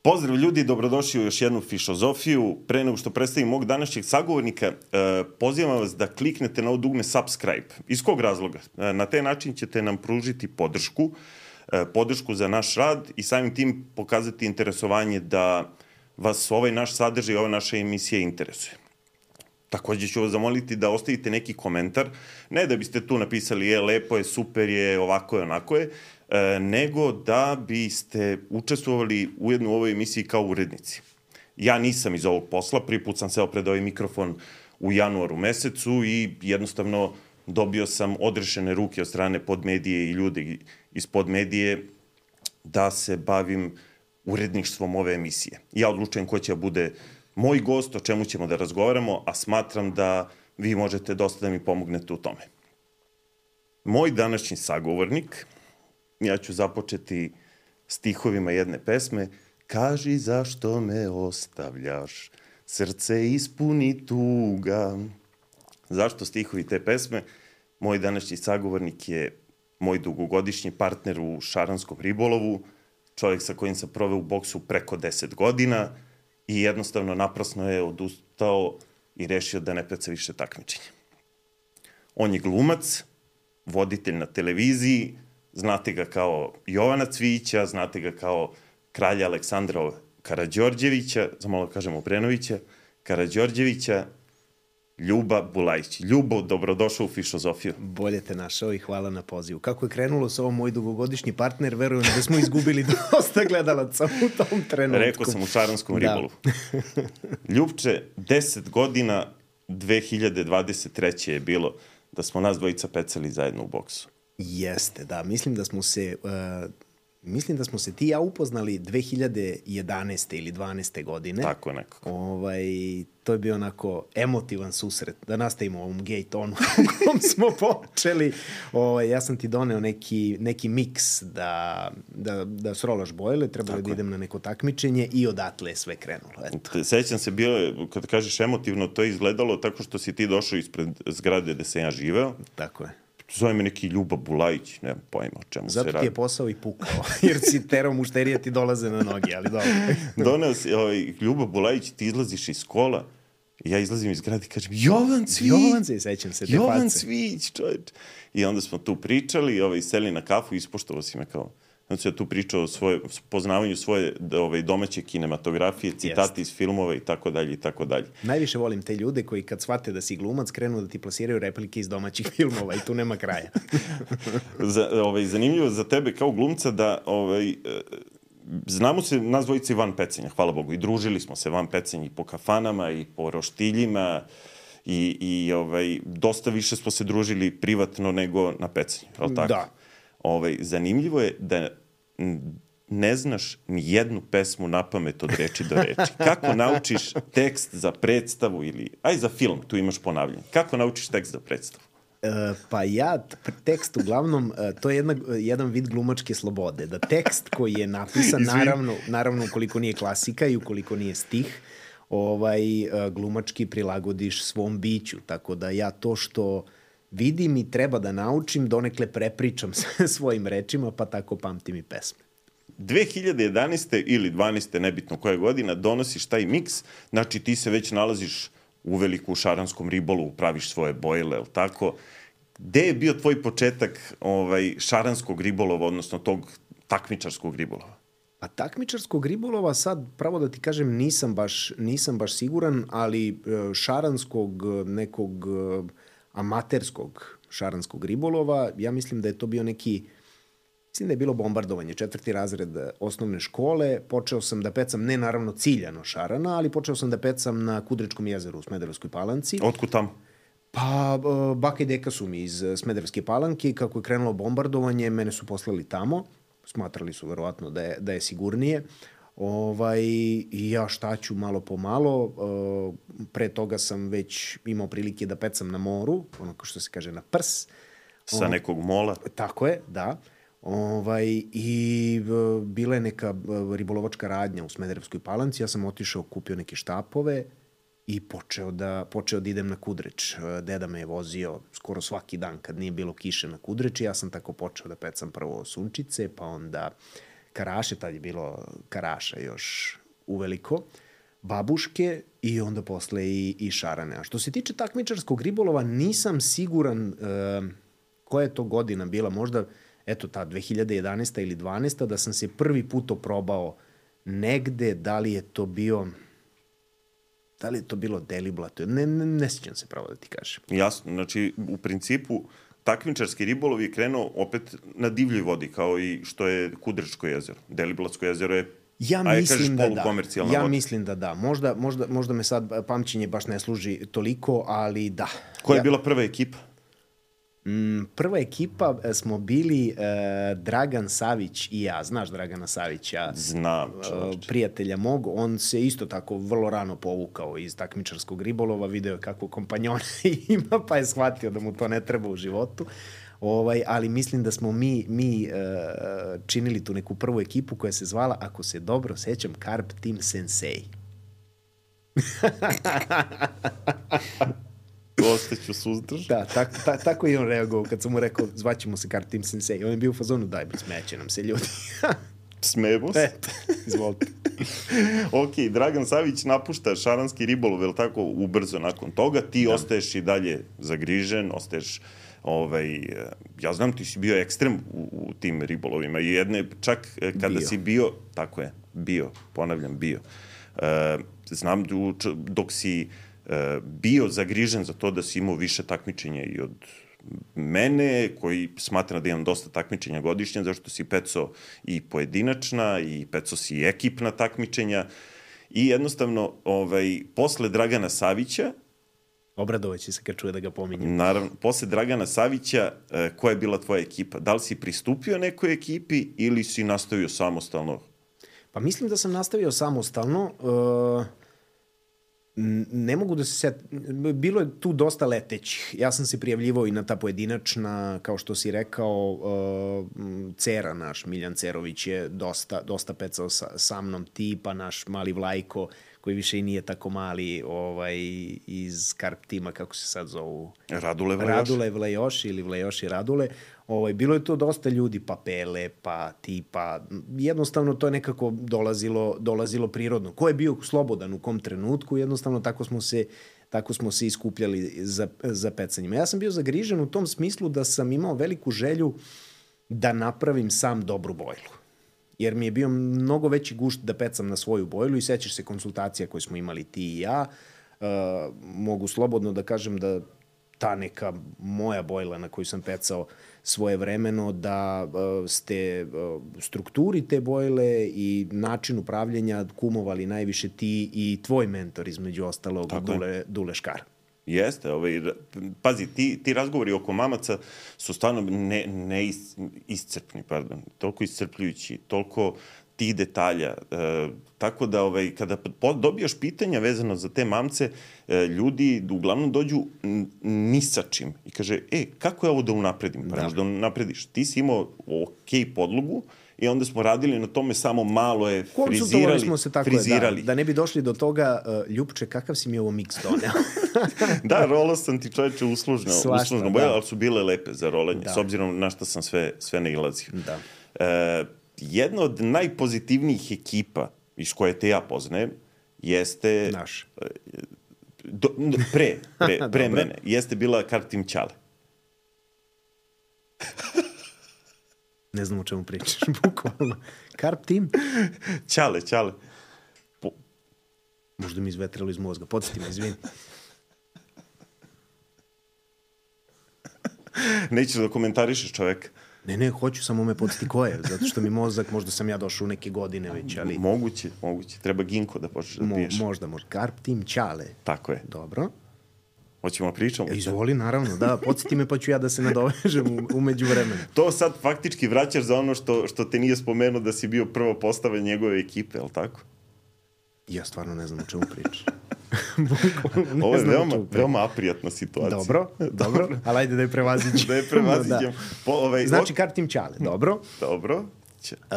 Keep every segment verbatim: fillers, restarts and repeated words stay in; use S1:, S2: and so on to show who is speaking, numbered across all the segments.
S1: Pozdrav ljudi, dobrodošli u još jednu Fišozofiju. Pre nego što predstavim mog današnjeg sagovornika, pozivam vas da kliknete na ovo dugme subscribe. Iz kog razloga? Na taj način ćete nam pružiti podršku, podršku za naš rad i samim tim pokazati interesovanje da vas ovaj naš sadržaj i ova naša emisija interesuje. Takođe ću vas zamoliti da ostavite neki komentar, ne da biste tu napisali je, lepo je, super je, ovako je, onako je, nego da biste učestvovali ujedno u ovoj emisiji kao urednici. Ja nisam iz ovog posla, prvi put sam seo pred ovaj mikrofon u januaru mesecu i jednostavno dobio sam odrešene ruke od strane podmedije i ljudi iz podmedije da se bavim uredništvom ove emisije. Ja odlučujem ko će bude moj gost, o čemu ćemo da razgovaramo, a smatram da vi možete dosta da mi pomognete u tome. Moj današnji sagovornik, ja ću započeti stihovima jedne pesme. Kaži zašto me ostavljaš, srce ispuni tuga. Zašto stihovi te pesme? Moj današnji sagovornik je moj dugogodišnji partner u šaranskom ribolovu, čovjek sa kojim sam proveo u boksu preko deset godina i jednostavno naprasno je odustao i rešio da ne peca više takmičenja. On je glumac, voditelj na televiziji, znate ga kao Jovana Cvijića, znate ga kao kralja Aleksandra Karađorđevića, zamalo kažem Obrenovića, Karađorđevića, Ljuba Bulajić. Ljubo, dobrodošao u Fišozofiju.
S2: Bolje te našao i hvala na pozivu. Kako je krenulo sa ovom moj dugogodišnji partner, verujem da smo izgubili dosta gledalaca u tom trenutku.
S1: Rekao sam u šaranskom ribolovu. Ljubče, deset godina, dve hiljade dvadeset treće je bilo da smo nas dvojica pecali zajedno u boksu.
S2: Jeste, da. Mislim da smo se... Uh, Mislim da smo se ti i ja upoznali dve hiljade jedanaeste ili dvanaeste godine.
S1: Tako nekako.
S2: Ovaj, to je bio onako emotivan susret. Da nastavimo u ovom gej tonu u kom smo počeli. Ovaj, ja sam ti doneo neki, neki miks da, da, da srolaš bojle, trebalo da idem na neko takmičenje i odatle je sve krenulo. Eto.
S1: Sećam se, bilo je, kad kažeš emotivno, to je izgledalo tako što si ti došao ispred zgrade gde sam ja živeo.
S2: Tako je.
S1: Zove me neki Ljuba Bulajić, nemam pojma o čemu
S2: Zato
S1: se radi.
S2: Zato ti je posao i pukao, jer si terao mušterije ti dolaze na noge, ali dobro.
S1: Doneo si, ovaj, Ljuba Bulajić, ti izlaziš iz kola, i ja izlazim iz grada i kažem, Jovan Cvijić!
S2: Jovan se, sećam se, te face.
S1: Jovan Cvijić, čovječ. I onda smo tu pričali, ovaj, seli na kafu i ispoštovao si me kao... Onda sam ja tu pričao o svoje, poznavanju svoje ovaj, domaće kinematografije, citati iz filmova i tako dalje i tako dalje.
S2: Najviše volim te ljude koji kad shvate da si glumac krenu da ti plasiraju replike iz domaćih filmova i tu nema kraja.
S1: za, ovaj, zanimljivo za tebe kao glumca da ovaj, znamo se nas dvojice i van pecenja, hvala Bogu, i družili smo se van pecenja i po kafanama i po roštiljima i, i ovaj, dosta više smo se družili privatno nego na pecenju, je li tako?
S2: Da.
S1: Ovaj, zanimljivo je da ne znaš ni jednu pesmu napamet od reči do reči. Kako naučiš tekst za predstavu ili, aj za film, tu imaš ponavljanje. Kako naučiš tekst za predstavu?
S2: E, pa ja, tekst uglavnom, to je jedna, jedan vid glumačke slobode. Da tekst koji je napisan, naravno, naravno ukoliko nije klasika i ukoliko nije stih, ovaj, glumački prilagodiš svom biću. Tako da ja to što vidim i treba da naučim, donekle prepričam svojim rečima, pa tako pamtim i pesme.
S1: dve hiljade jedanaeste ili dvanaeste, nebitno koja godina, donosiš taj miks, znači ti se već nalaziš uveliko u šaranskom ribolovu, praviš svoje bojle, je li tako? Gde je bio tvoj početak ovaj, šaranskog ribolova, odnosno tog takmičarskog ribolova?
S2: Pa takmičarskog ribolova sad, pravo da ti kažem, nisam baš, nisam baš siguran, ali šaranskog nekog amaterskog šaranskog ribolova, ja mislim da je to bio neki, mislim da je bilo bombardovanje, četvrti razred osnovne škole, počeo sam da pecam, ne naravno ciljano šarana, ali počeo sam da pecam na Kudričkom jezeru u Smederevskoj Palanci.
S1: Otkud tamo?
S2: Pa, baka i deka su mi iz Smederevske Palanke i kako je krenulo bombardovanje, mene su poslali tamo, smatrali su verovatno da je, da je sigurnije. Ovaj, i ja šta ću malo po malo, pre toga sam već imao prilike da pecam na moru, ono kao što se kaže na prs.
S1: Sa nekog mola?
S2: Tako je, da. Ovaj, i bila je neka ribolovačka radnja u Smederevskoj Palanci, ja sam otišao, kupio neke štapove i počeo da, počeo da idem na Kudreč. Deda me je vozio skoro svaki dan kad nije bilo kiše na Kudreč i ja sam tako počeo da pecam prvo sunčice, pa onda karaše, tad je bilo karaša još uveliko, babuške i onda posle i, i šarane. A što se tiče takmičarskog ribolova, nisam siguran uh, koja je to godina bila, možda eto ta dve hiljade jedanaesta ili dvanaesta da sam se prvi put oprobao negde, da li je to bio da li je to bilo Deliblato, ne, ne, ne sjećam se pravo da ti kažem.
S1: Jasno, znači u principu takmičarski ribolov je krenuo opet na divljoj vodi, kao i što je Kudrečko jezero. Deliblatsko jezero je
S2: Ja
S1: Ajde,
S2: mislim da da. Ja
S1: voda.
S2: mislim da da. Možda, možda, možda me sad pamćenje baš ne služi toliko, ali da.
S1: Koja je
S2: ja,
S1: bila prva ekipa?
S2: Mm, prva ekipa smo bili uh, Dragan Savić i ja. Znaš Dragana Savića?
S1: Znam,
S2: uh, prijatelja mog. On se isto tako vrlo rano povukao iz takmičarskog ribolova, video kako kompanjona ima, pa je shvatio da mu to ne treba u životu. Ovaj, ali mislim da smo mi, mi uh, činili tu neku prvu ekipu koja se zvala, ako se dobro sećam, Carp Team Sensei.
S1: Ostaću suzdrž.
S2: Da, tak, ta, tako je on reagovao kad sam mu rekao zvaćemo se Carp Team Sensei. On je bio u fazonu, daj, smeće nam se ljudi.
S1: Smemo se.
S2: Eto, izvolite.
S1: Ok, Dragan Savić napušta šaranski ribolov, je li tako, ubrzo nakon toga. Ti da. ostaješ i dalje zagrižen, ostaješ, ovaj, ja znam, ti si bio ekstrem u, u tim ribolovima. I jedne, čak kada bio. si bio, tako je, bio, ponavljam, bio. Uh, znam dok si uh, bio zagrižen za to da si imao više takmičenja i od mene, koji smatra da imam dosta takmičenja godišnje, zašto si pecao i pojedinačna i pecao si ekipna takmičenja i jednostavno ovaj, posle Dragana Savića
S2: obradovaće se kad čuje da ga pominjem.
S1: Naravno, posle Dragana Savića, eh, koja je bila tvoja ekipa? Da li si pristupio nekoj ekipi ili si nastavio samostalno?
S2: Pa mislim da sam nastavio samostalno. Uh... Ne mogu da se set... Bilo je tu dosta letećih. Ja sam se prijavljivao i na ta pojedinačna, kao što si rekao, uh, Cera naš, Miljan Cerović je dosta, dosta pecao sa, sa mnom, tipa naš mali Vlajko, koji više i nije tako mali, ovaj, iz Carp tima, kako se sad zovu?
S1: Radule Vlajoši.
S2: Radule Vlajoši ili Vlajoši Radule. Ovaj, bilo je to dosta ljudi, pa Pele, pa ti, pa jednostavno to je nekako dolazilo, dolazilo prirodno. Ko je bio slobodan u kom trenutku, jednostavno tako smo se, tako smo se iskupljali za, za pecanjima. Ja sam bio zagrižen u tom smislu da sam imao veliku želju da napravim sam dobru bojlu. Jer mi je bio mnogo veći gušt da pecam na svoju bojlu i sećaš se konsultacija koje smo imali ti i ja. Uh, mogu slobodno da kažem da ta neka moja bojla na koju sam pecao svoje vremeno, da uh, ste uh, strukturi te bojle i način upravljanja kumovali najviše ti i tvoj mentor, između ostalog, Dule, Dule Škar.
S1: Jeste, ovaj, pazi, ti, ti razgovori oko mamaca su stvarno ne, ne is, iscrpni, pardon, toliko iscrpljujući, toliko tih detalja, e, tako da ovaj, kada dobijaš pitanja vezano za te mamce, e, ljudi uglavnom dođu ni sa čim i kaže, e, kako je ovo da unapredim? Pa da. da unaprediš. Ti si imao ok podlogu i onda smo radili na tome, samo malo je frizirali.
S2: Smo se tako
S1: frizirali.
S2: Da, da ne bi došli do toga, uh, Ljupče, kakav si mi ovo miks doneo?
S1: Da, rolao sam ti, čoveče, uslužno,
S2: Svašta,
S1: uslužno boje, da. ali su bile lepe za rolanje, da. s obzirom na što sam sve, sve nailazio.
S2: Da.
S1: E, jedna od najpozitivnijih ekipa iz koje te ja poznajem jeste...
S2: Naš.
S1: Do, pre, pre, pre mene, jeste bila Carp Team Ćale.
S2: Ne znam o čemu pričaš, bukvalno. Carp Team?
S1: Ćale, Ćale. Po...
S2: Možda mi izvetralo iz mozga. Podsjeti me, izvini.
S1: Nećeš da komentarišeš čoveka.
S2: Ne, ne, hoću, samo me podsjeti ko je, zato što mi mozak, možda sam ja došao u neke godine već, ali...
S1: Moguće, moguće. Treba ginko da počneš da piješ.
S2: Mo, možda, možda. Carp Team Ćale.
S1: Tako je.
S2: Dobro.
S1: Hoćemo pričamo?
S2: Izvoli, naravno, da. Podsjeti me pa ću ja da se nadovežem u, umeđu vremenu.
S1: To sad faktički vraćaš za ono što, što te nije spomenuo da si bio prva postava njegove ekipe, je li tako?
S2: Ja stvarno ne znam o čemu pričaš.
S1: Ovo je veoma, veoma aprijatna situacija.
S2: Dobro, dobro, ali ajde da je prevaziđem.
S1: Da je prevaziđem.
S2: Da. Po, ovaj, znači, Carp Team Ćale, dobro.
S1: Dobro.
S2: Uh,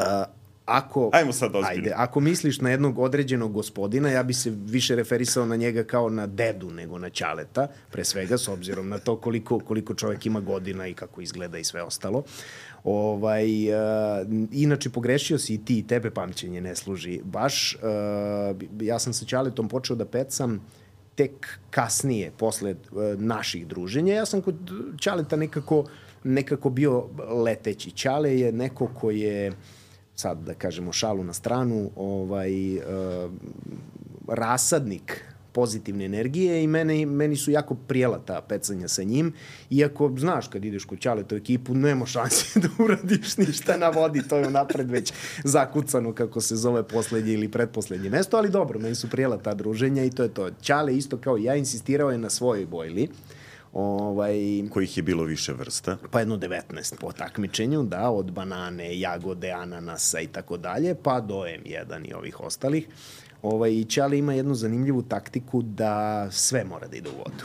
S2: ako,
S1: Ajmo sad ozbiljno.
S2: Ajde, ako misliš na jednog određenog gospodina, ja bi se više referisao na njega kao na dedu nego na ćaleta, pre svega, s obzirom na to koliko, koliko čovjek ima godina i kako izgleda i sve ostalo. Ovaj, uh, inače, pogrešio si i ti, i tebe pamćenje ne služi. Baš, uh, ja sam sa ćaletom počeo da pecam tek kasnije, posle uh, naših druženja. Ja sam kod ćaleta nekako, nekako bio leteći. Ćale je neko ko je, sad da kažemo šalu na stranu, ovaj, uh, rasadnik pozitivne energije i meni, meni su jako prijela ta pecanja sa njim. Iako, znaš, kad ideš kod ćaleta u ekipu, nema šanse da uradiš ništa na vodi, to je napred već zakucano, kako se zove, poslednje ili pretposlednje mesto, ali dobro, meni su prijela ta druženja i to je to. Ćale isto kao ja insistirao je na svojoj bojli. Ovaj,
S1: kojih je bilo više vrsta?
S2: Pa jedno devetnaest po takmičenju, da, od banane, jagode, ananasa i tako dalje, pa do em jedan i ovih ostalih. Ovaj, i Ćale ima jednu zanimljivu taktiku da sve mora da ide u vodu.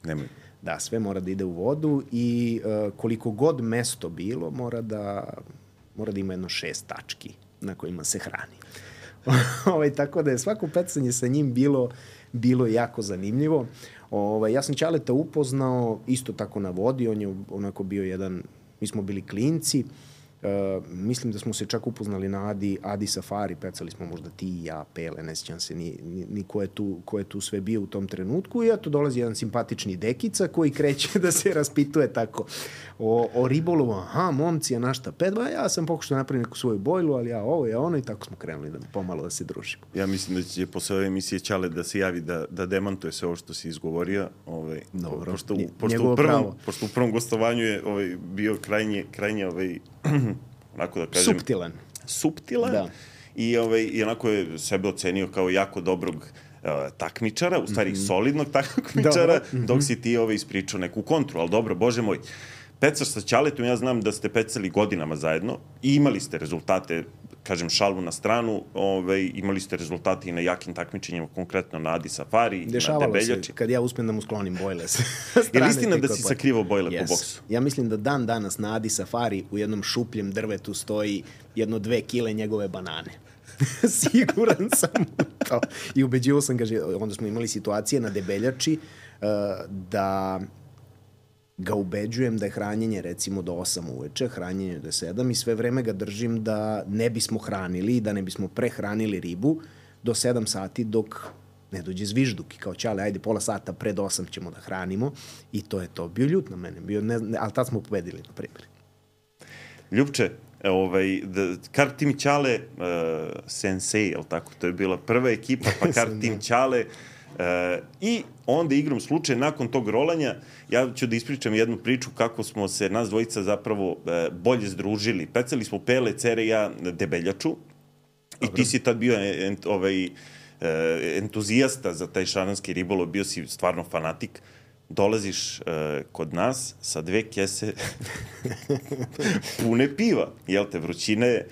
S1: Nemoj.
S2: Da, sve mora da ide u vodu i uh, koliko god mesto bilo, mora da, mora da ima jedno šest tački na kojima se hrani. ovaj, tako da je svako pecanje sa njim bilo, bilo jako zanimljivo. Ovaj, ja sam Ćaleta upoznao isto tako na vodi, on je onako bio jedan, mi smo bili klinci, Uh, mislim da smo se čak upoznali na Adi, Adi Safari, pecali smo možda ti i ja, Pele, ne sjećam se ni, ni, ni ko, je tu, ko je tu sve bio u tom trenutku i eto dolazi jedan simpatični dekica koji kreće da se raspituje tako o, o ribolovu, aha, momci, a našta pet, ba, ja sam pokušao da napravim neku svoju bojlu, ali ja ovo je ono i tako smo krenuli da pomalo da se družimo.
S1: Ja mislim da će posle ove emisije Ćale da se javi da, da demantuje sve ovo što si izgovorio, ovaj,
S2: dobro,
S1: pošto, pošto, u prvom, pošto u prvom gostovanju je ovaj, bio krajnje, krajnje ovaj, onako da kažem...
S2: Suptilan.
S1: Suptilan. Da. I, ovaj, I onako je sebe ocenio kao jako dobrog uh, takmičara, u stvari mm-hmm. solidnog takmičara, mm-hmm. dok si ti ovaj, ispričao neku kontru. Ali dobro, bože moj, pecaš sa Ćaletom, ja znam da ste pecali godinama zajedno i imali ste rezultate, kažem šalu na stranu, ovaj, imali ste rezultate i na jakim takmičenjima, konkretno na Adi Safari,
S2: dešavalo
S1: na Debeljači.
S2: Se, kad ja uspem da mu sklonim bojle sa
S1: Je li istina da si sakrivao bojle yes. po boksu?
S2: Ja mislim da dan danas na Adi Safari u jednom šupljem drvetu stoji jedno dve kile njegove banane. Siguran sam u to. I ubeđivo sam ga, onda smo imali situacije na Debeljači uh, da ga ubeđujem da je hranjenje recimo do osam uveče, hranjenje do sedam i sve vreme ga držim da ne bismo hranili, da ne bismo prehranili ribu do sedam sati dok ne dođe zvižduk i kao Ćale, ajde pola sata pred osam ćemo da hranimo i to je to. Bio ljut na mene, bio, ne, ne, ali tad smo pobedili, na primjer.
S1: Ljupče, ovaj, da, Carp Team Ćale, uh, Sensei, je li tako? To je bila prva ekipa, pa Carp Team Ćale, Uh, i onda igrom slučaja nakon tog rolanja ja ću da ispričam jednu priču kako smo se nas dvojica zapravo uh, bolje združili. Pecali smo Pele, Cere i ja Debeljaču. Dobre. I ti si tad bio ent, ovaj, uh, entuzijasta za taj šaranski ribolov, bio si stvarno fanatik. Dolaziš uh, kod nas sa dve kese pune piva, jel te, vrućine.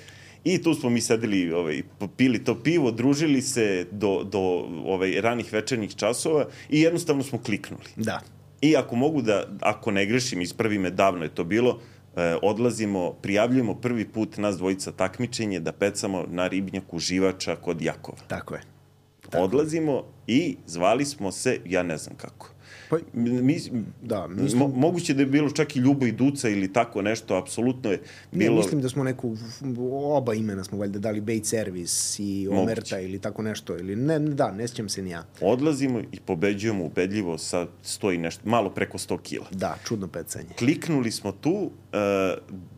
S1: I tu smo mi sedeli, ovaj, pili to pivo, družili se do, do ovaj, ranih večernjih časova i jednostavno smo kliknuli.
S2: Da.
S1: I ako mogu da, ako ne grešim, ispravi me, davno je to bilo, eh, odlazimo, prijavljujemo prvi put nas dvojica takmičenje da pecamo na ribnjaku Živača kod Jakova.
S2: Tako je. Tako
S1: Odlazimo i zvali smo se, ja ne znam kako.
S2: Pa,
S1: mi,
S2: da, mislim...
S1: mo, moguće da je bilo čak i Ljubo i Duca ili tako nešto, apsolutno je bilo...
S2: Ne, mislim da smo neku, oba imena smo valjda dali Bait Service i Omerta ili tako nešto, ili ne, da, ne sjećam se ni ja.
S1: Odlazimo i pobeđujemo ubedljivo sa sto i nešto, malo preko sto kila.
S2: Da, čudno pecanje.
S1: Kliknuli smo tu, uh,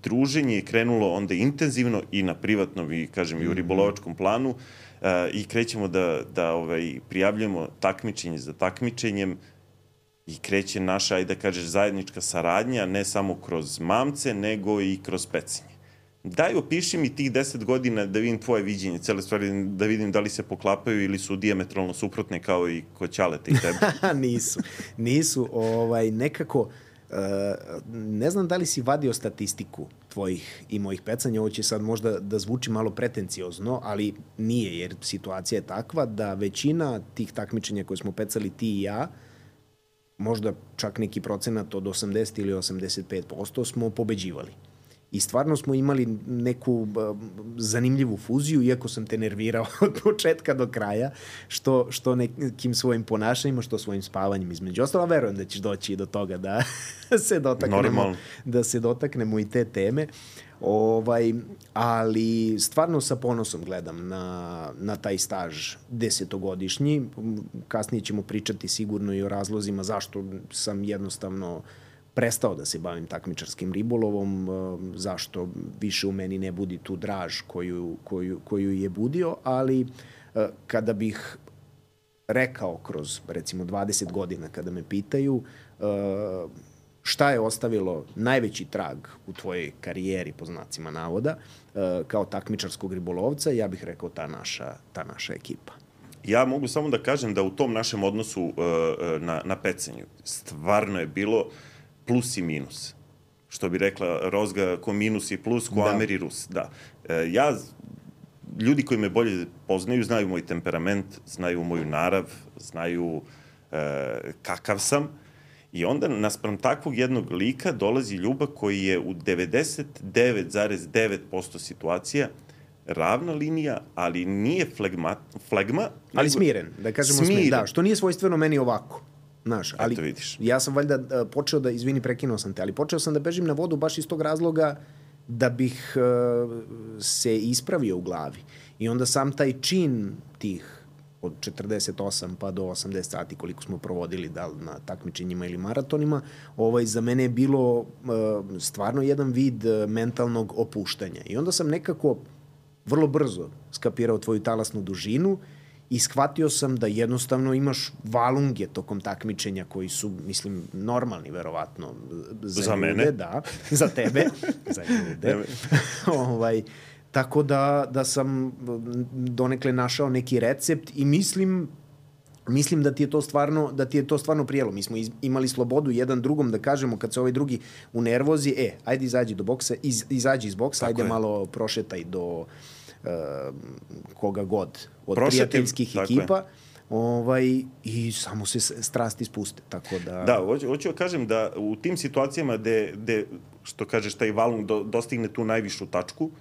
S1: druženje je krenulo onda intenzivno i na privatnom i, kažem, mm-hmm. i u ribolovačkom planu uh, i krećemo da, da ovaj, prijavljamo takmičenje za takmičenjem. I kreće naša, ajde da kažeš, zajednička saradnja, ne samo kroz mamce, nego i kroz pecanje. Daj, opiši mi tih deset godina da vidim tvoje viđenje, cele stvari, da vidim da li se poklapaju ili su dijametralno suprotne kao i kod Ćaleta i tebe.
S2: nisu, nisu. Ovaj, nekako, uh, ne znam da li si vadio statistiku tvojih i mojih pecanja, ovo će sad možda da zvuči malo pretenciozno, ali nije, jer situacija je takva da većina tih takmičenja koje smo pecali ti i ja, možda čak neki procenat od osamdeset ili osamdeset pet posto smo pobeđivali. I stvarno smo imali neku uh, zanimljivu fuziju, iako sam te nervirao od početka do kraja, što, što nekim svojim ponašanjima, što svojim spavanjem između ostalo. Verujem da ćeš doći do toga da se dotaknemo, da se dotaknemo i te teme. Ovaj, ali stvarno sa ponosom gledam na, na taj staž desetogodišnji. Kasnije ćemo pričati sigurno i o razlozima zašto sam jednostavno prestao da se bavim takmičarskim ribolovom, zašto više u meni ne budi tu draž koju, koju, koju je budio, ali kada bih rekao kroz recimo dvadeset godina kada me pitaju šta je ostavilo najveći trag u tvojoj karijeri, po znacima navoda, kao takmičarskog ribolovca, ja bih rekao ta naša, ta naša ekipa.
S1: Ja mogu samo da kažem da u tom našem odnosu na, na pecanju stvarno je bilo plus i minus. Što bi rekla Rozga, ko minus i plus, ko da. Amer i Rus. Da. Ja, ljudi koji me bolje poznaju, znaju moj temperament, znaju moju narav, znaju kakav sam. I onda, naspram takvog jednog lika, dolazi Ljuba koji je u devedeset devet zarez devet posto situacija ravna linija, ali nije flegma, flegma
S2: ali nego, smiren, da kažemo smiren. smiren. Da, što nije svojstveno meni ovako. Znaš, ali
S1: eto vidiš.
S2: Ja sam valjda počeo da, izvini, prekinuo sam te, ali počeo sam da bežim na vodu baš iz tog razloga da bih uh, se ispravio u glavi. I onda sam taj čin tih od četrdeset osam pa do osamdeset sati koliko smo provodili da na takmičenjima ili maratonima, ovaj, za mene je bilo uh, stvarno jedan vid uh, mentalnog opuštanja. I onda sam nekako vrlo brzo skapirao tvoju talasnu dužinu i shvatio sam da jednostavno imaš valunge tokom takmičenja koji su, mislim, normalni, verovatno.
S1: Za, za ljude, mene?
S2: Da. Za tebe. Za ljude. ovaj, tako da, da sam donekle našao neki recept i mislim, mislim da ti je to stvarno, da ti je to stvarno prijelo. Mi smo iz, imali slobodu jedan drugom da kažemo kad se ovaj drugi u nervozi, e, ajde izađi do boksa, iz, izađi iz boksa, tako ajde je. Malo prošetaj do Uh, koga god od Prošetim, prijateljskih ekipa ovaj, i samo se strasti spuste. Tako da...
S1: Da, hoću, hoću da kažem da u tim situacijama gde, gde što kažeš, taj valung do, dostigne tu najvišu tačku, uh,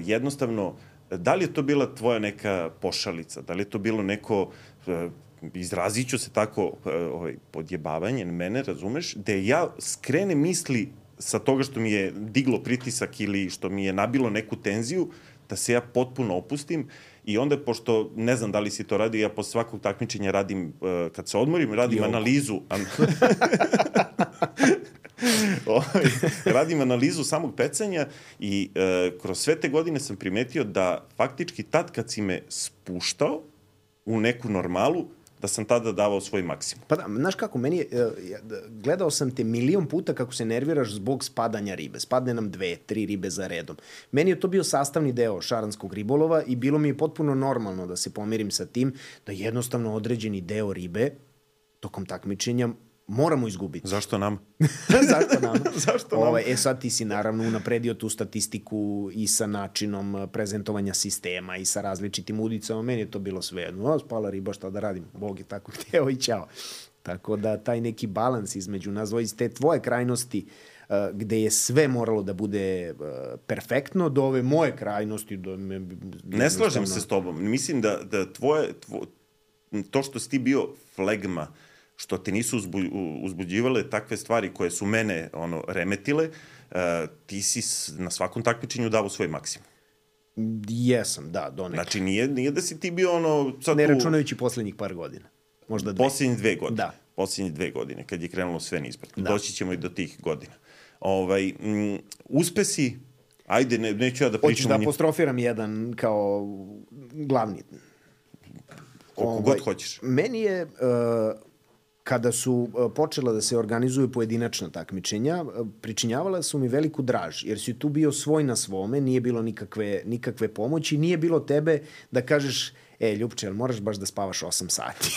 S1: jednostavno, da li je to bila tvoja neka pošalica, da li je to bilo neko, uh, izrazit ću se tako, uh, ovaj, podjebavanje mene, razumeš, gde ja skrenem misli sa toga što mi je diglo pritisak ili što mi je nabilo neku tenziju, da se ja potpuno opustim i onda, pošto ne znam da li si to radio, ja posle svakog takmičenja radim, uh, kad se odmorim, radim Jok. analizu. An... radim analizu samog pecanja i uh, kroz sve te godine sam primetio da faktički tad kad si me spuštao u neku normalu, da sam tada davao svoj maksimum.
S2: Pa da, znaš kako, meni je, gledao sam te milion puta kako se nerviraš zbog spadanja ribe. Spadne nam dve, tri ribe za redom. Meni je to bio sastavni deo šaranskog ribolova i bilo mi je potpuno normalno da se pomirim sa tim, da jednostavno određeni deo ribe tokom takmičenja moramo izgubiti.
S1: Zašto nam?
S2: Zašto nam?
S1: Zašto nam?
S2: Ovaj, e sad ti si naravno unapredio tu statistiku i sa načinom prezentovanja sistema i sa različitim udicama. Meni je to bilo sve jedno. O, spala riba, šta da radim? Bog je tako hteo i ćao. Tako da taj neki balans između nas dvoje, iz te tvoje krajnosti uh, gde je sve moralo da bude uh, perfektno, do ove moje krajnosti. Do me,
S1: ne slažem se s tobom. Mislim da, da tvoje, tvo, to što si ti bio flegma, što te nisu uzbu, uzbuđivale takve stvari koje su mene ono remetile, uh, ti si na svakom takmičenju davo svoj maksimum.
S2: Jesam, da, donekle.
S1: Znači, nije, nije da si ti bio ono... Sad
S2: ne računajući poslednjih par godina. Možda dve.
S1: Poslednjih dve godine.
S2: Da.
S1: Poslednjih dve godine, kad je krenulo sve nizbrdo. Da. Doći ćemo i do tih godina. Ovaj, m, uspesi, ajde, ne, neću ja da pričam...
S2: Hoćeš da apostrofiram jedan kao glavni.
S1: Koliko ovaj, god hoćeš.
S2: Meni je... Uh, kada su počela da se organizuju pojedinačna takmičenja, pričinjavala su mi veliku draž, jer si tu bio svoj na svome, nije bilo nikakve, nikakve pomoći, nije bilo tebe da kažeš, e, Ljupče, jel moraš baš da spavaš osam sati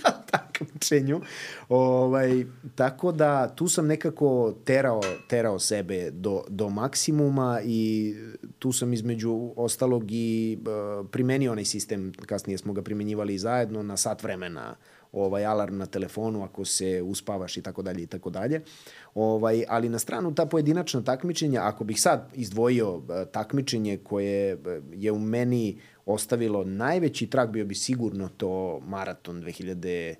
S2: na takmičenju. Ovaj, tako da tu sam nekako terao, terao sebe do, do maksimuma i tu sam između ostalog i uh, primenio onaj sistem, kasnije smo ga primenjivali zajedno, na sat vremena ovaj, alarm na telefonu ako se uspavaš i tako dalje i tako dalje. Ovaj, ali na stranu ta pojedinačna takmičenja, ako bih sad izdvojio takmičenje koje je u meni ostavilo najveći trag, bio bi sigurno to maraton dve hiljade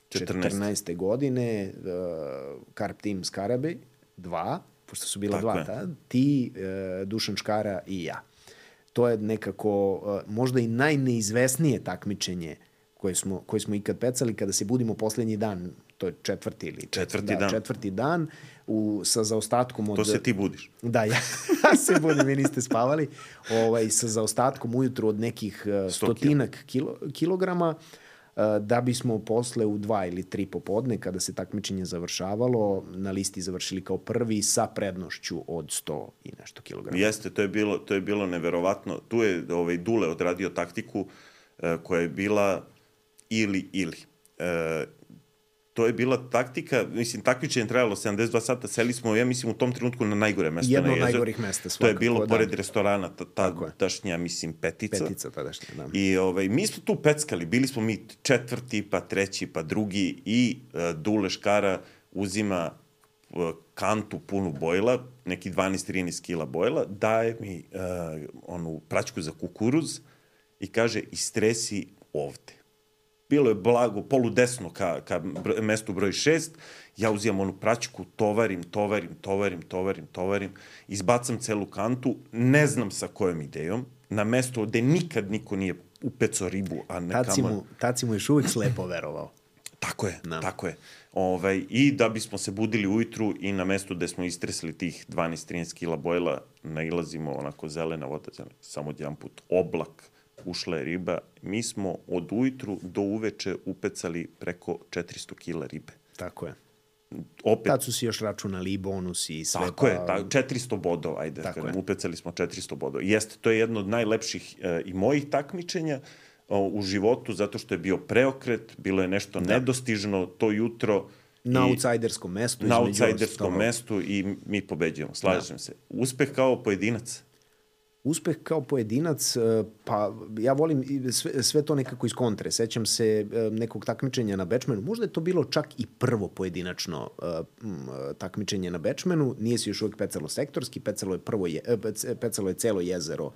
S2: četrnaeste. godine, uh, Carp Team Skarabej, dva, pošto su bila
S1: Tako
S2: dva,
S1: je.
S2: ta, ti, uh, Dušan Škara i ja. To je nekako uh, možda i najneizvesnije takmičenje koje smo, koje smo ikad pecali kada se budimo poslednji dan, to je četvrti ili
S1: Četvrti
S2: da,
S1: dan.
S2: četvrti dan u, sa zaostatkom od...
S1: To se ti budiš.
S2: Da, ja, ja se budim, vi niste spavali, ovaj, sa zaostatkom ujutru od nekih uh, stotinak kilo, kilograma, uh, da bismo posle u dva ili tri popodne, kada se takmičenje završavalo, na listi završili kao prvi sa prednošću od sto i nešto kilograma.
S1: Jeste, to je bilo, to je bilo neverovatno. Tu je ovaj, Dule odradio taktiku uh, koja je bila ili, ili. Uh, to je bila taktika, mislim, takmičenje trajalo sedamdeset dva sata, seli smo, ja mislim, u tom trenutku na najgore mesto
S2: Jedno
S1: na
S2: od
S1: jezeru.
S2: najgorih mesta svakako.
S1: To je bilo
S2: da.
S1: pored restorana, ta,
S2: Tako je.
S1: ta, tašnja, mislim, petica.
S2: Petica tadašnja, da.
S1: I ovaj, mi smo tu peckali, bili smo mi četvrti, pa treći, pa drugi i uh, Dule Škara uzima uh, kantu punu bojla, neki dvanaest trinaest kila bojla, daje mi uh, onu praćku za kukuruz i kaže, istresi ovde. Bilo je blago, poludesno ka, ka br mestu broj šest, ja uzimam onu praćku, tovarim, tovarim, tovarim, tovarim, tovarim, izbacam celu kantu, ne znam sa kojom idejom, na mesto gde nikad niko nije upecao ribu, a ne
S2: Tad si
S1: kamo...
S2: mu, tad si mu još uvijek slepo verovao.
S1: Tako je,
S2: Da.
S1: tako je. Ovaj, I da bismo se budili ujutru i na mestu gde smo istresli tih dvanaest trinaest kila bojla, nailazimo onako zelena voda, samo jedan put oblak, ušla je riba. Mi smo od ujutru do uveče upecali preko četiristo kila ribe.
S2: Tako je.
S1: Opet,
S2: Tad su si još računali i bonus i sve.
S1: tako
S2: pa...
S1: je, ta, četiristo bodova, ajde,
S2: Tako
S1: kad
S2: je.
S1: upecali smo četiristo bodova. Jeste, to je jedno od najlepših e, i mojih takmičenja o, u životu, zato što je bio preokret, bilo je nešto
S2: Da.
S1: nedostižno to jutro.
S2: Na
S1: i-
S2: outsajderskom mestu.
S1: na
S2: između
S1: outsajderskom
S2: ostalog.
S1: mestu i mi pobeđujemo, slažem se. Uspeh kao pojedinac.
S2: Uspeh kao pojedinac, e, pa ja volim i sve, sve to nekako iz kontre. Sećam se e, nekog takmičenja na Bečmenu. Možda je to bilo čak i prvo pojedinačno e, m, takmičenje na Bečmenu. Nije se još uvijek pecalo sektorski, pecalo je, prvo je, e, pec- pecalo je celo jezero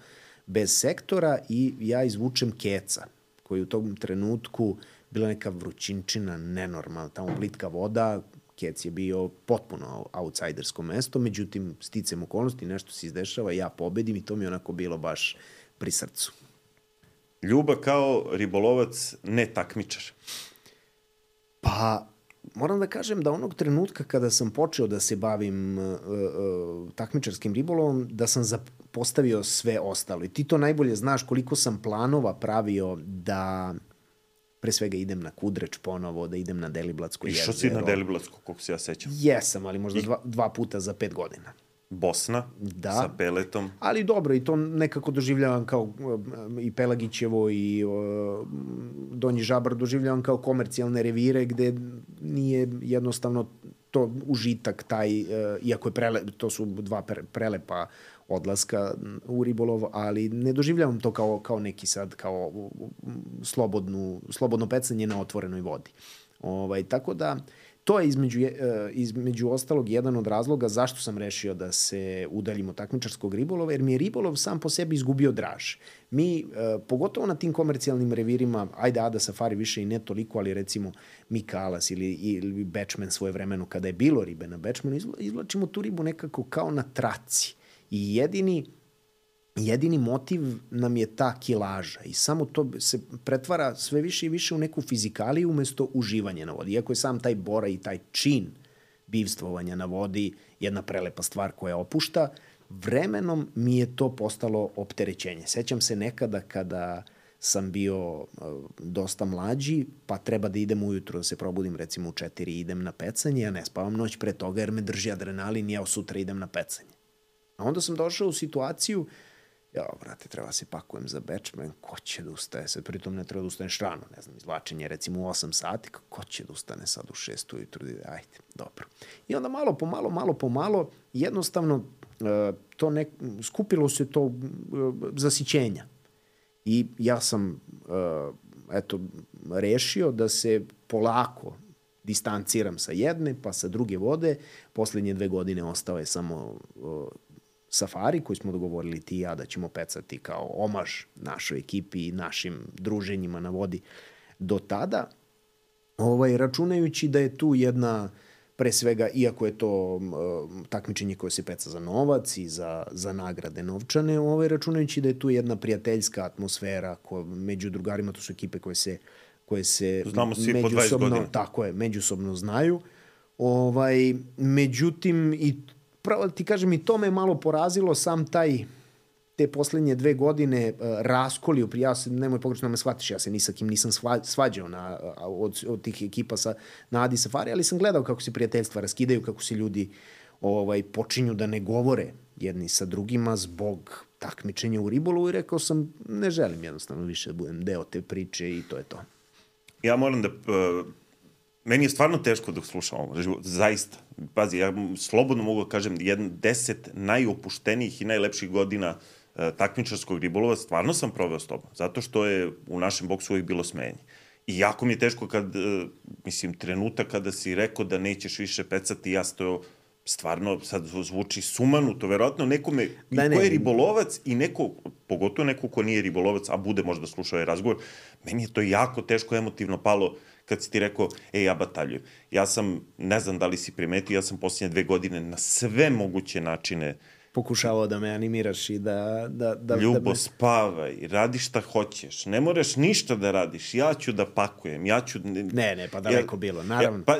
S2: bez sektora i ja izvučem keca, koji u tom trenutku bila neka vrućinčina, nenormalna, tamo plitka voda, kec je bio potpuno outsidersko mesto, međutim, sticam okolnosti, nešto se izdešava, ja pobedim i to mi je onako bilo baš pri srcu.
S1: Ljuba kao ribolovac, ne takmičar.
S2: Pa, moram da kažem da onog trenutka kada sam počeo da se bavim uh, uh, takmičarskim ribolovom, da sam zapostavio sve ostalo. I ti to najbolje znaš koliko sam planova pravio da pre svega idem na Kudreč ponovo, da idem na Deliblatsko jezero.
S1: Išao si na Deliblatsko, koliko se ja sećam.
S2: Jesam, ali možda dva, dva puta za pet godina.
S1: Bosna,
S2: Da.
S1: sa peletom.
S2: Ali dobro, i to nekako doživljavam kao uh, i Pelagićevo i uh, Donji Žabar doživljavam kao komercijalne revire gde nije jednostavno to užitak taj, uh, iako je prele, to su dva pre, prelepa odlaska u ribolov, ali ne doživljavam to kao, kao neki sad, kao slobodnu, slobodno pecanje na otvorenoj vodi. Ovaj, tako da, to je između, između ostalog jedan od razloga zašto sam rešio da se udaljim od takmičarskog ribolova, jer mi je ribolov sam po sebi izgubio draž. Mi, pogotovo na tim komercijalnim revirima, ajde Ada Safari više i ne toliko, ali recimo Mikalas ili, ili Bečmen svoje vremeno, kada je bilo ribe na Bečmenu, izvlačimo tu ribu nekako kao na traci. I jedini, jedini motiv nam je ta kilaža i samo to se pretvara sve više i više u neku fizikaliju umesto uživanje na vodi. Iako je sam taj bora i taj čin bivstvovanja na vodi jedna prelepa stvar koja opušta, vremenom mi je to postalo opterećenje. Sećam se nekada kada sam bio uh, dosta mlađi, pa treba da idem ujutro, da se probudim recimo u četiri i idem na pecanje, ja ne spavam noć pre toga jer me drži adrenalin i ja sutra idem na pecanje. A onda sam došao u situaciju, ja, brate, treba se pakujem za Bečmen, ko će da ustaje sad, pritom ne treba da ustaneš rano, ne znam, izvlačenje recimo u osam sati, ko će da ustane sad u šest ujutru, ajde, dobro. I onda malo po malo, malo po malo, jednostavno uh, to nek, skupilo se to uh, zasićenja. I ja sam uh, eto, rešio da se polako distanciram sa jedne, pa sa druge vode. Poslednje dve godine ostao je samo uh, safari koji smo dogovorili ti i ja da ćemo pecati kao omaž našoj ekipi i našim druženjima na vodi do tada. Ovaj, računajući da je tu jedna, pre svega, iako je to uh, takmičenje koje se peca za novac i za, za nagrade novčane, ovaj, računajući da je tu jedna prijateljska atmosfera ko, među drugarima, to su ekipe koje se koje se
S1: znamo svi po dvadeset godina.
S2: Tako je, međusobno znaju. Ovaj, međutim, i pravo ti kažem, i to me malo porazilo, sam taj, te poslednje dve godine uh, raskolio, ja se, nemoj pogrešno me shvatiš, ja se ni sa kim nisam sva, svađao na, od, od tih ekipa sa, na Adi Safari, ali sam gledao kako se prijateljstva raskidaju, kako se ljudi ovaj, počinju da ne govore jedni sa drugima zbog takmičenja u ribolovu i rekao sam, ne želim jednostavno više da budem deo te priče i to je to.
S1: Ja moram da... Uh, meni je stvarno teško dok slušam ovo. Zaista. Pazi, ja slobodno mogu da kažem jedan deset najopuštenijih i najlepših godina uh, takmičarskog ribolova stvarno sam proveo s tobom. Zato što je u našem boksu uvijek bilo smenje. I jako mi je teško kad, uh, mislim, trenutak kada si rekao da nećeš više pecati, ja stojao stvarno, sad zvuči sumanuto, verovatno nekome da, ne, ko je ribolovac i neko, pogotovo neko ko nije ribolovac, a bude možda slušao ovaj razgovor, meni je to jako teško emotivno palo kad si ti rekao, ej, ja bataljujem. Ja sam, ne znam da li si primetio, ja sam posljednje dve godine na sve moguće načine
S2: pokušavao da me animiraš i da... da, da
S1: Ljubo,
S2: da me...
S1: spavaj, radi šta hoćeš, ne moraš ništa da radiš, ja ću da pakujem, ja ću...
S2: Ne, ne, pa daleko ja, bilo, naravno.
S1: Ja, pa,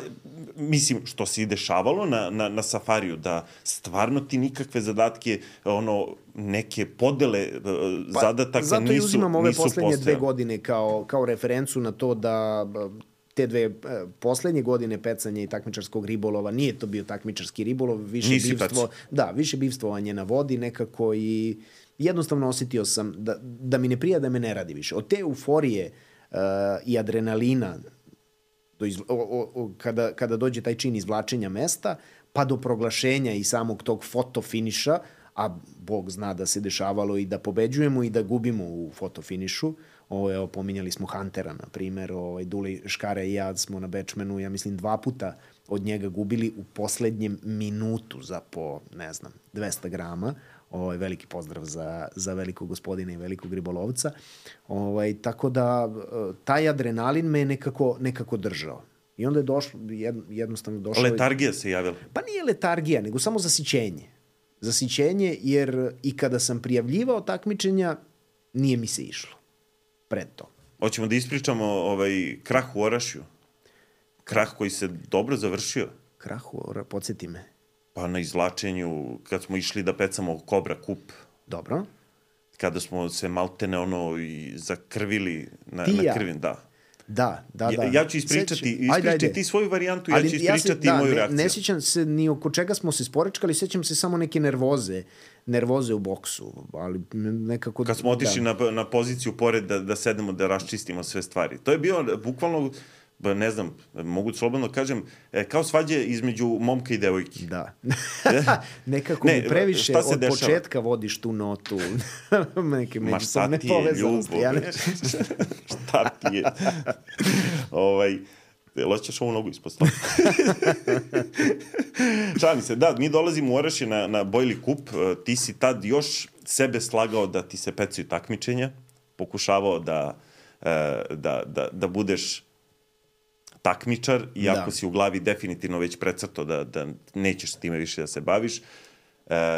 S1: mislim, što se i dešavalo na, na, na safariju, da stvarno ti nikakve zadatke, ono, neke podele pa, zadataka nisu
S2: zato i uzimam ove poslednje
S1: postojali.
S2: dve godine kao, kao referencu na to da... te dve poslednje godine pecanja i takmičarskog ribolova, nije to bio takmičarski ribolov, više
S1: Nisi
S2: bivstvo, da, više bivstvovanje na vodi nekako i jednostavno osetio sam da, da mi ne prija da me ne radi više. Od te euforije uh, i adrenalina do izla, o, o, o, kada, kada dođe taj čin izvlačenja mesta, pa do proglašenja i samog tog fotofiniša, a Bog zna da se dešavalo i da pobeđujemo i da gubimo u fotofinišu. Ovo, evo, pominjali smo Huntera, na primer, ovaj, Duli Škara i ja smo na Bečmenu, ja mislim, dva puta od njega gubili u poslednjem minutu za po, ne znam, dvesta grama. Ovaj, veliki pozdrav za, za velikog gospodina i velikog ribolovca. Ovaj, tako da, taj adrenalin me nekako, nekako držao. I onda je došlo, jednostavno došlo...
S1: Letargija se javila.
S2: Pa nije letargija, nego samo zasićenje. Zasićenje, jer i kada sam prijavljivao takmičenja, nije mi se išlo pred to.
S1: Hoćemo da ispričamo ovaj krah u Orašju. Krah koji se dobro završio.
S2: Krah u Orašju, podsjeti me.
S1: Pa na izvlačenju, kad smo išli da pecamo Kobra kup.
S2: Dobro.
S1: Kada smo se maltene ono i zakrvili na,
S2: ti
S1: na
S2: ja.
S1: krvin, da.
S2: Da, da, da.
S1: Ja, ja ću ispričati, ispričati ti svoju varijantu, ali ja ću ispričati ja se, da, moju
S2: ne,
S1: reakciju.
S2: Ne sjećam se ni oko čega smo se sporečkali, sjećam se samo neke nervoze, nervoze u boksu, ali nekako...
S1: Kad smo otišli da. na, na poziciju pored da, da sedemo, da raščistimo sve stvari. To je bio bukvalno, ne znam, mogu slobodno kažem, kao svađe između momka i devojke.
S2: Da. Nekako ne, mi previše od dešava? Početka vodiš tu notu. Neke međusobne povezanosti. Ja ne...
S1: Šta ti je? ovaj, loćeš ovu nogu ispod stola. Šalim se, da, mi dolazimo u Orašje na, na Bojli kup. Ti si tad još sebe slagao da ti se pecaju takmičenja. Pokušavao da, da, da, da budeš takmičar, iako da. si u glavi definitivno već precrto da, da nećeš s time više da se baviš. E,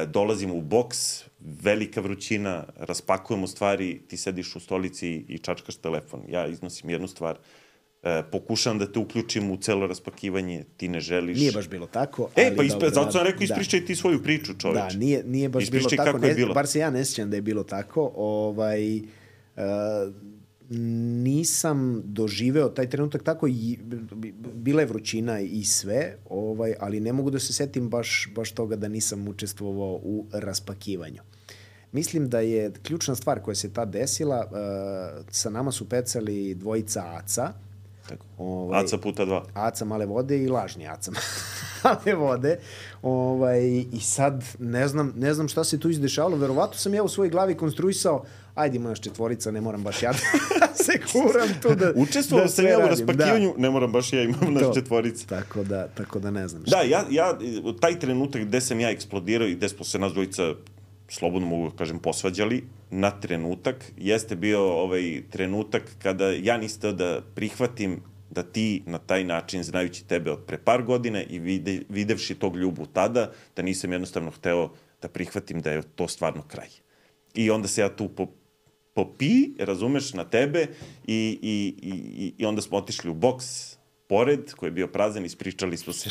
S1: dolazimo u boks, velika vrućina, raspakujemo stvari, ti sediš u stolici i čačkaš telefon. Ja iznosim jednu stvar, e, pokušam da te uključim u celo raspakivanje, ti ne želiš.
S2: Nije baš bilo tako. Ali
S1: e, pa ispre,
S2: dobro,
S1: zato sam rekao, ispričaj da. ti svoju priču, čoveč.
S2: Da, nije, nije baš
S1: ispričaj
S2: bilo tako.
S1: Ne, bilo.
S2: Bar se ja ne sjećam da je bilo tako. Ovaj... Uh, nisam doživeo taj trenutak tako i bila je vrućina i sve, ovaj, ali ne mogu da se setim baš, baš toga da nisam učestvovao u raspakivanju. Mislim da je ključna stvar koja se tad desila, uh, sa nama su pecali dvojica aca,
S1: Tako. Ovaj, Aca puta dva.
S2: Aca male vode i lažni Aca male vode. Ovaj, I sad ne znam, ne znam šta se tu izdešavalo. Verovatno sam ja u svojoj glavi konstruisao, ajde ima naš četvorica, ne moram baš ja da se kuram tu da
S1: Učestvovao
S2: da
S1: sam ja u raspakivanju, da. Ne moram baš ja imam naš četvorica.
S2: Tako da, tako da ne znam šta.
S1: Da, ja, ja, taj trenutak gde sam ja eksplodirao i gde smo se nas dvojica, slobodno mogu da kažem, posvađali na trenutak, jeste bio ovaj trenutak kada ja nisam da prihvatim da ti na taj način, znajući tebe od pre par godine i vide, videvši tog Ljubu tada, da nisam jednostavno hteo da prihvatim da je to stvarno kraj. I onda se ja tu po, popi, razumeš, na tebe i, i, i, i onda smo otišli u boks pored, koji je bio prazan, ispričali smo se...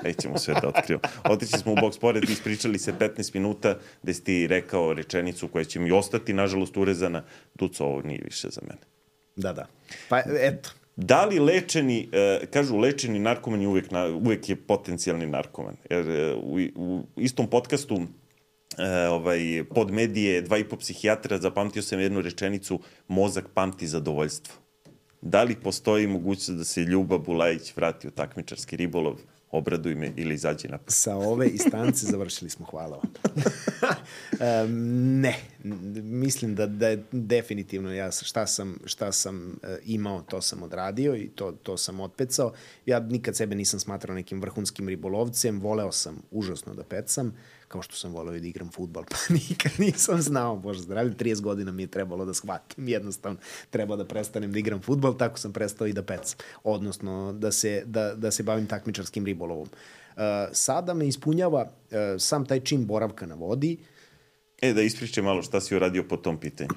S1: Nećemo sve da otkrivamo. Otišli smo u boks pored i ispričali se petnaest minuta gde si ti rekao rečenicu koja će mi ostati, nažalost, urezana. Duco, ovo nije više za mene.
S2: Da, da. Pa, eto.
S1: Da li lečeni, uh, kažu lečeni narkoman je uvek, na, uvek je potencijalni narkoman. Jer uh, u, u istom podcastu uh, ovaj, pod medije dva i po psihijatra zapamtio sam jednu rečenicu: mozak pamti zadovoljstvo. Da li postoji mogućnost da se Ljuba Bulajić vrati u takmičarski ribolov? Obraduj me ili izađi napad.
S2: Sa ove instance završili smo, hvala vam. um, ne, mislim da, da je definitivno ja šta sam, šta sam uh, imao, to sam odradio i to, to sam otpecao. Ja nikad sebe nisam smatrao nekim vrhunskim ribolovcem, voleo sam užasno da pecam, kao što sam voleo i da igram fudbal, pa nikad nisam znao, bože zdravlje, trideset godina mi je trebalo da shvatim, jednostavno treba da prestanem da igram fudbal, tako sam prestao i da pecam, odnosno da se, da, da se bavim takmičarskim ribolovom. Uh, sada me ispunjava uh, sam taj čin boravka na vodi.
S1: E, da ispričaj malo šta si uradio po tom pitanju.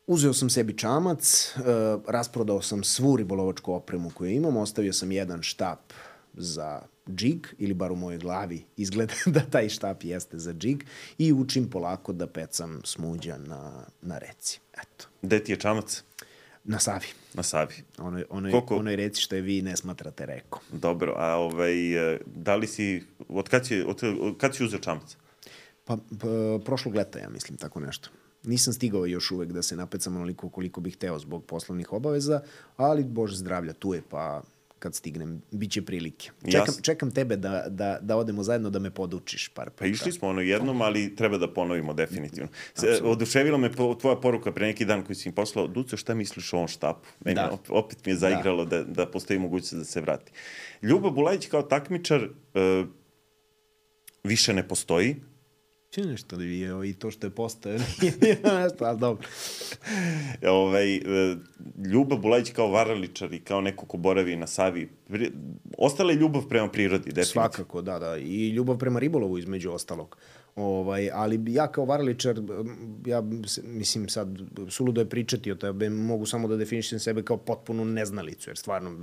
S2: Uzeo sam sebi čamac, uh, rasprodao sam svu ribolovačku opremu koju imam, ostavio sam jedan štap za džig, ili bar u mojoj glavi izgleda da taj štap jeste za džig, i učim polako da pecam smuđa na, na reci. Eto.
S1: Gde ti je čamac?
S2: Na Savi.
S1: Na Savi.
S2: Onoj, onoj,
S1: Koliko...
S2: onoj reci što je vi ne smatrate rekom.
S1: Dobro, a ovaj, da li si, od kad si, od, od kad si uzeo čamac?
S2: Pa, pa, prošlog leta, ja mislim, tako nešto. Nisam stigao još uvek da se napecam onoliko koliko bih hteo zbog poslovnih obaveza, ali, bože zdravlja, tu je, pa kad stignem, bit će prilike. Čekam, čekam tebe da, da, da odemo zajedno da me podučiš par puta.
S1: Pa išli smo ono jednom, ali treba da ponovimo definitivno. Se, oduševila me po, tvoja poruka pre neki dan koji si mi poslao: Duco, šta misliš o ovom štapu? Meni da. opet mi je zaigralo da, da, da postoji mogućnost da se vrati. Ljuba Bulajić kao takmičar uh, više ne postoji.
S2: Če nešto da je i to što je postao, nije nešto, ali dobro.
S1: Ovaj, Ljuba Bulajić kao varaličar i kao neko ko boravi na Savi, ostala je ljubav prema prirodi, definitivno.
S2: Svakako, da, da. I ljubav prema ribolovu, između ostalog. Ovaj, ali ja kao varaličar, ja mislim sad, suludo je pričati o tebe, mogu samo da definišem sebe kao potpunu neznalicu, jer stvarno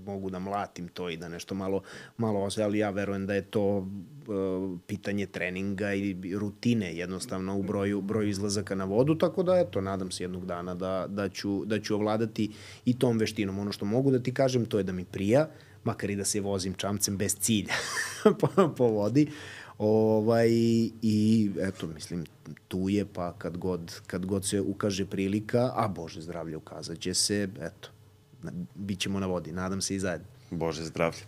S2: mogu da mlatim to i da nešto malo, malo osve, ali ja verujem da je to uh, pitanje treninga i rutine jednostavno u broju, broju izlazaka na vodu, tako da eto, nadam se jednog dana da, da, ću, da ću ovladati i tom veštinom. Ono što mogu da ti kažem, to je da mi prija, makar i da se vozim čamcem bez cilja po, po vodi. Ovaj, i eto, mislim, tu je, pa kad god, kad god se ukaže prilika, a Bože zdravlje, ukazat će se, eto, bit ćemo na vodi, nadam se i zajedno.
S1: Bože zdravlje.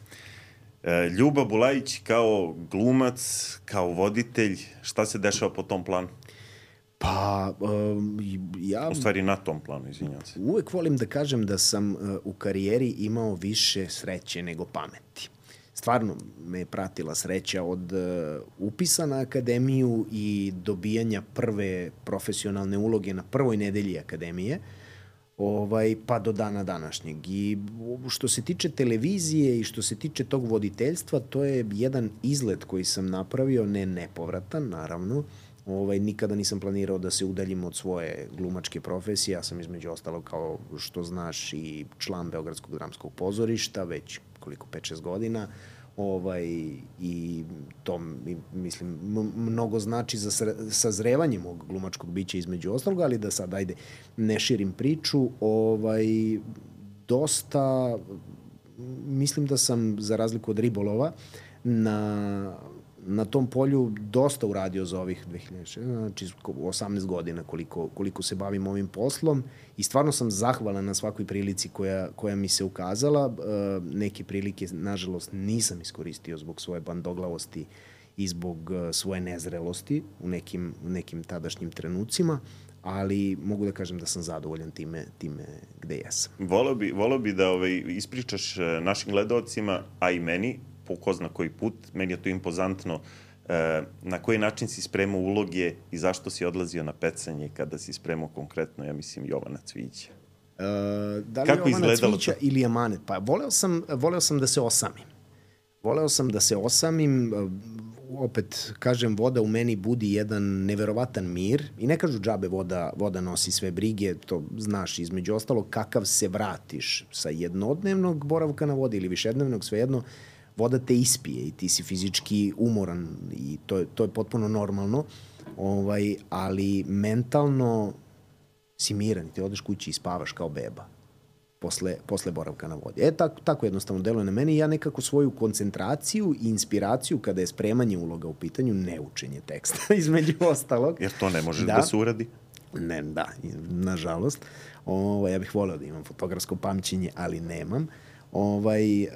S1: E, Ljuba Bulajić kao glumac, kao voditelj, šta se dešava po tom planu?
S2: Pa, um, ja...
S1: U stvari na tom planu, izvinjam se.
S2: Uvek volim da kažem da sam uh, u karijeri imao više sreće nego pameti. Stvarno me je pratila sreća od uh, upisa na akademiju i dobijanja prve profesionalne uloge na prvoj nedelji akademije, ovaj, pa do dana današnjeg. I što se tiče televizije i što se tiče tog voditeljstva, to je jedan izlet koji sam napravio, ne nepovratan, naravno. Ovaj, nikada nisam planirao da se udaljim od svoje glumačke profesije. Ja sam između ostalog, kao što znaš, i član Beogradskog dramskog pozorišta, već koliko, pet šest godina. Ovaj, i to, mislim, mnogo znači za sazrevanje mog glumačkog bića između ostalog, ali da sad, ajde, ne širim priču. Ovaj, dosta, mislim da sam, za razliku od ribolova, na na tom polju dosta uradio za ovih dve hiljade šesnaeste. Znači osamnaest godina koliko, koliko se bavim ovim poslom i stvarno sam zahvalan na svakoj prilici koja, koja mi se ukazala. Neke prilike, nažalost, nisam iskoristio zbog svoje bandoglavosti i zbog svoje nezrelosti u nekim, u nekim tadašnjim trenucima, ali mogu da kažem da sam zadovoljan time, time gde jesam.
S1: Voleo bi, voleo bi da ovaj, ispričaš našim gledalcima, a i meni, po ko zna koji put, meni je to impozantno, na koji način si spremao uloge i zašto si odlazio na pecanje kada si spremao konkretno, ja mislim, Jovana Cvića.
S2: Uh, da li Kako Jovana Cvića to? Ili Amanet? Pa voleo sam, voleo sam da se osamim. Voleo sam da se osamim, opet kažem, voda u meni budi jedan neverovatan mir i ne kažu džabe voda, voda nosi sve brige, to znaš između ostalo kakav se vratiš sa jednodnevnog boravka na vodi ili višednevnog, svejedno, voda te ispije i ti si fizički umoran i to je, to je potpuno normalno, ovaj, ali mentalno si miran i ti odeš kući i spavaš kao beba posle, posle boravka na vodi. E, tako, tako jednostavno deluje na meni i ja nekako svoju koncentraciju i inspiraciju kada je spremanje uloga u pitanju, ne učenje teksta, između ostalog.
S1: Jer to ne može da, da se uradi?
S2: Ne, da, nažalost. Ovo, ja bih voleo da imam fotografsko pamćenje, ali nemam. Ovaj, uh,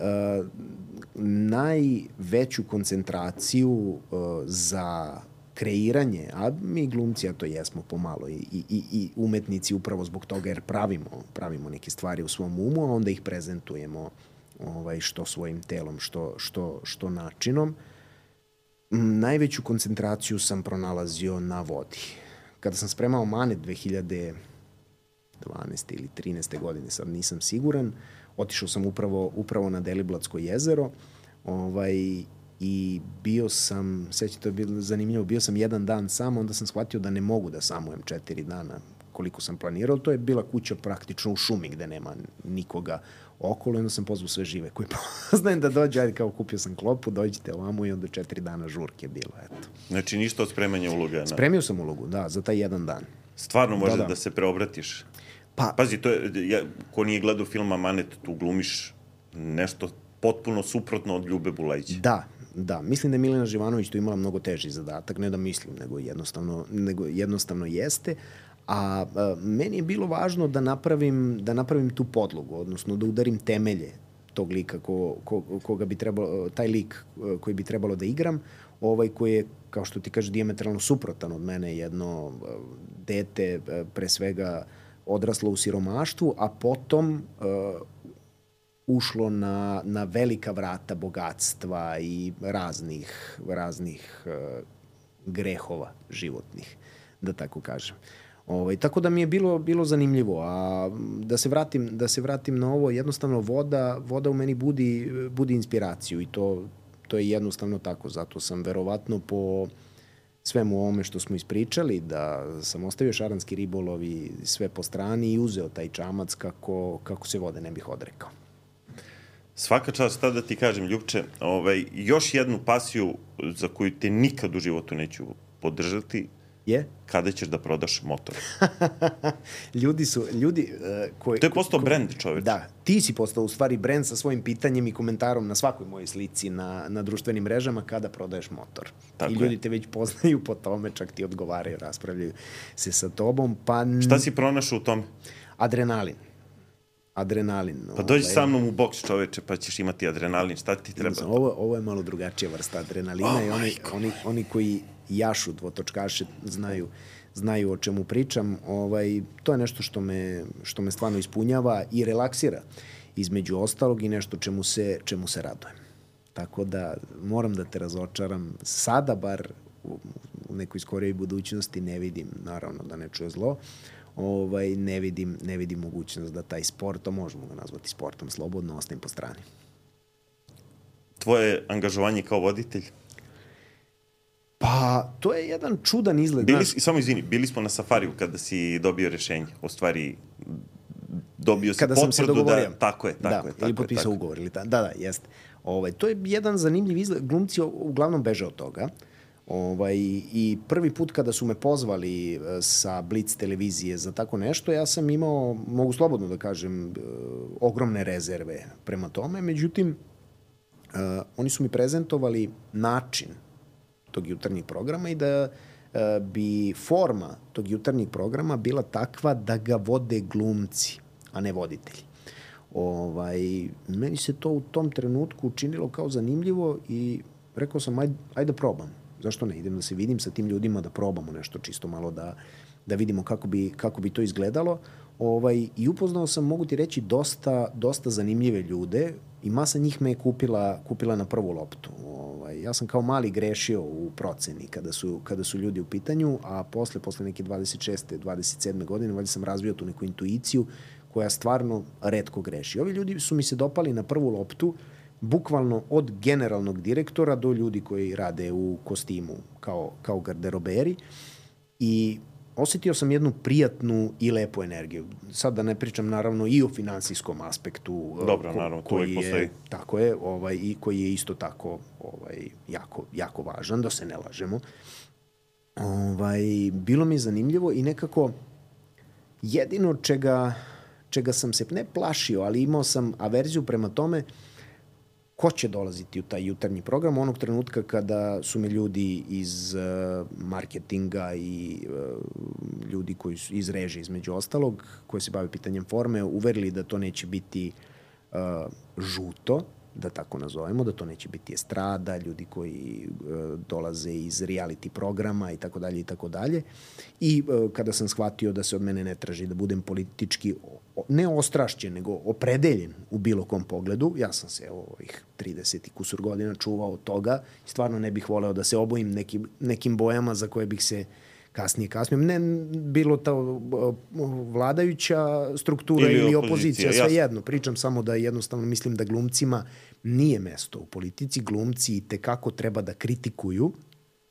S2: najveću koncentraciju uh, za kreiranje, a mi glumci, a to jesmo pomalo i, i, i umetnici upravo zbog toga jer pravimo, pravimo neke stvari u svom umu, a onda ih prezentujemo ovaj, što svojim telom, što, što, što načinom. Najveću koncentraciju sam pronalazio na vodi. Kada sam spremao Manet dve hiljade dvanaeste ili trinaeste godine, sad nisam siguran, otišao sam upravo, upravo na Deliblatsko jezero ovaj, i bio sam, sveći, to je bilo zanimljivo, bio sam jedan dan sam, onda sam shvatio da ne mogu da samujem četiri dana koliko sam planirao. To je bila kuća praktično u šumi gde nema nikoga okolo, onda sam pozvao sve žive koji poznajem da dođe, ajde kao kupio sam klopu, dođite ovamo i onda četiri dana žurke bilo, eto.
S1: Znači ništa od spremanja uloga? Na...
S2: Spremio sam ulogu, da, za taj jedan dan.
S1: Stvarno može da, da. da se preobratiš? Pa, Pazi, to je, ja, ko nije gledao filma Manet, tu glumiš nešto potpuno suprotno od Ljube Bulajića.
S2: Da, da. Mislim da je Milena Živanović tu imala mnogo teži zadatak, ne da mislim, nego jednostavno, nego jednostavno jeste. A, a meni je bilo važno da napravim, da napravim tu podlogu, odnosno da udarim temelje tog lika ko, ko, koga bi trebalo, taj lik koji bi trebalo da igram, ovaj koji je, kao što ti kaže, dijametralno suprotan od mene, jedno dete, pre svega odraslo u siromaštvu, a potom uh, ušlo na, na velika vrata bogatstva i raznih, raznih uh, grehova životnih, da tako kažem. Ovaj, tako da mi je bilo, bilo zanimljivo. A da se vratim, da se vratim na ovo, jednostavno voda, voda u meni budi, budi inspiraciju i to, to je jednostavno tako. Zato sam verovatno po svemu ovome što smo ispričali, da sam ostavio šaranski ribolov i sve po strani i uzeo taj čamac kako, kako se vode ne bih odrekao.
S1: Svaka čast, tada da ti kažem, Ljupče, ovaj, još jednu pasiju za koju te nikad u životu neću podržati,
S2: je?
S1: Kada ćeš da prodaš motor?
S2: ljudi su, ljudi... Uh, koji,
S1: to je postao
S2: ko,
S1: brend, čoveč.
S2: Da, ti si postao u stvari brend sa svojim pitanjem i komentarom na svakoj mojoj slici na, na društvenim mrežama kada prodaješ motor. Tako I ljudi je. Te već poznaju po tome, čak ti odgovaraju, raspravljaju se sa tobom. Pa...
S1: Šta si pronašao u tome?
S2: Adrenalin. Adrenalin.
S1: Pa dođi ovaj, sa mnom u boks, čoveče, pa ćeš imati adrenalin. Šta ti treba?
S2: Ovo, ovo je malo drugačija vrsta adrenalina oh, i oni, oni, oni koji jašu dvotočkaše znaju, znaju o čemu pričam. Ovaj, to je nešto što me, što me stvarno ispunjava i relaksira između ostalog i nešto čemu se, čemu se radujem. Tako da moram da te razočaram. Sada bar u, u nekoj skorijoj budućnosti ne vidim, naravno da ne čuje zlo, ovaj, ne vidim, ne vidim mogućnost da taj sport, to možemo ga nazvati sportom, slobodno ostavim po strani.
S1: Tvoje angažovanje kao voditelj?
S2: Pa, to je jedan čudan izgled.
S1: Bili, naš... Samo izvini, bili smo na safariju kada si dobio rešenje. O stvari, dobio si
S2: kada
S1: potvrdu
S2: sam se dogovorio.
S1: Da... Tako je, tako
S2: da,
S1: je. Tako
S2: ili potpisao
S1: tako.
S2: ugovor. Ili ta, da, da, jeste. Ovaj, to je jedan zanimljiv izgled. Glumci uglavnom beže od toga. Ovaj, I prvi put kada su me pozvali sa Blitz televizije za tako nešto, ja sam imao, mogu slobodno da kažem, ogromne rezerve prema tome. Međutim, uh, oni su mi prezentovali način tog jutarnjeg programa i da uh, bi forma tog jutarnjeg programa bila takva da ga vode glumci, a ne voditelji. Ovaj, meni se to u tom trenutku učinilo kao zanimljivo i rekao sam, ajde, ajde da probam. Zašto ne? Idem da se vidim sa tim ljudima, da probamo nešto čisto malo, da, da vidimo kako bi, kako bi to izgledalo. Ovaj, I upoznao sam, mogu ti reći, dosta, dosta zanimljive ljude i masa njih me je kupila, kupila na prvu loptu. Ovaj, ja sam kao mali grešio u proceni kada su, kada su ljudi u pitanju, a posle, posle neke dvadeset šeste, dvadeset sedme godine, valjda sam razvio tu neku intuiciju koja stvarno retko greši. Ovi ljudi su mi se dopali na prvu loptu, bukvalno od generalnog direktora do ljudi koji rade u kostimu kao, kao garderoberi i osetio sam jednu prijatnu i lepu energiju. Sad da ne pričam naravno i o finansijskom aspektu.
S1: Dobro, ko, naravno, to uvijek postoji.
S2: Tako je, ovaj, i koji je isto tako ovaj, jako, jako važan, da se ne lažemo. Ovaj, bilo mi je zanimljivo i nekako jedino čega, čega sam se ne plašio, ali imao sam averziju prema tome ko će dolaziti u taj jutarnji program onog trenutka kada su me ljudi iz uh, marketinga i uh, ljudi koji su iz režije između ostalog, koji se bave pitanjem forme, uverili da to neće biti uh, žuto, da tako nazovemo, da to neće biti estrada, ljudi koji uh, dolaze iz reality programa i tako dalje i tako dalje. I uh, kada sam shvatio da se od mene ne traži da budem politički ne ostrašćen, nego opredeljen u bilo kom pogledu, ja sam se ovih trideset i kusur godina čuvao od toga i stvarno ne bih voleo da se obojim nekim, nekim bojama za koje bih se kasnije kasnije. Ne bilo ta vladajuća struktura ili, ili opozicija, sve jedno. Pričam samo da jednostavno mislim da glumcima nije mesto u politici. Glumci itekako treba da kritikuju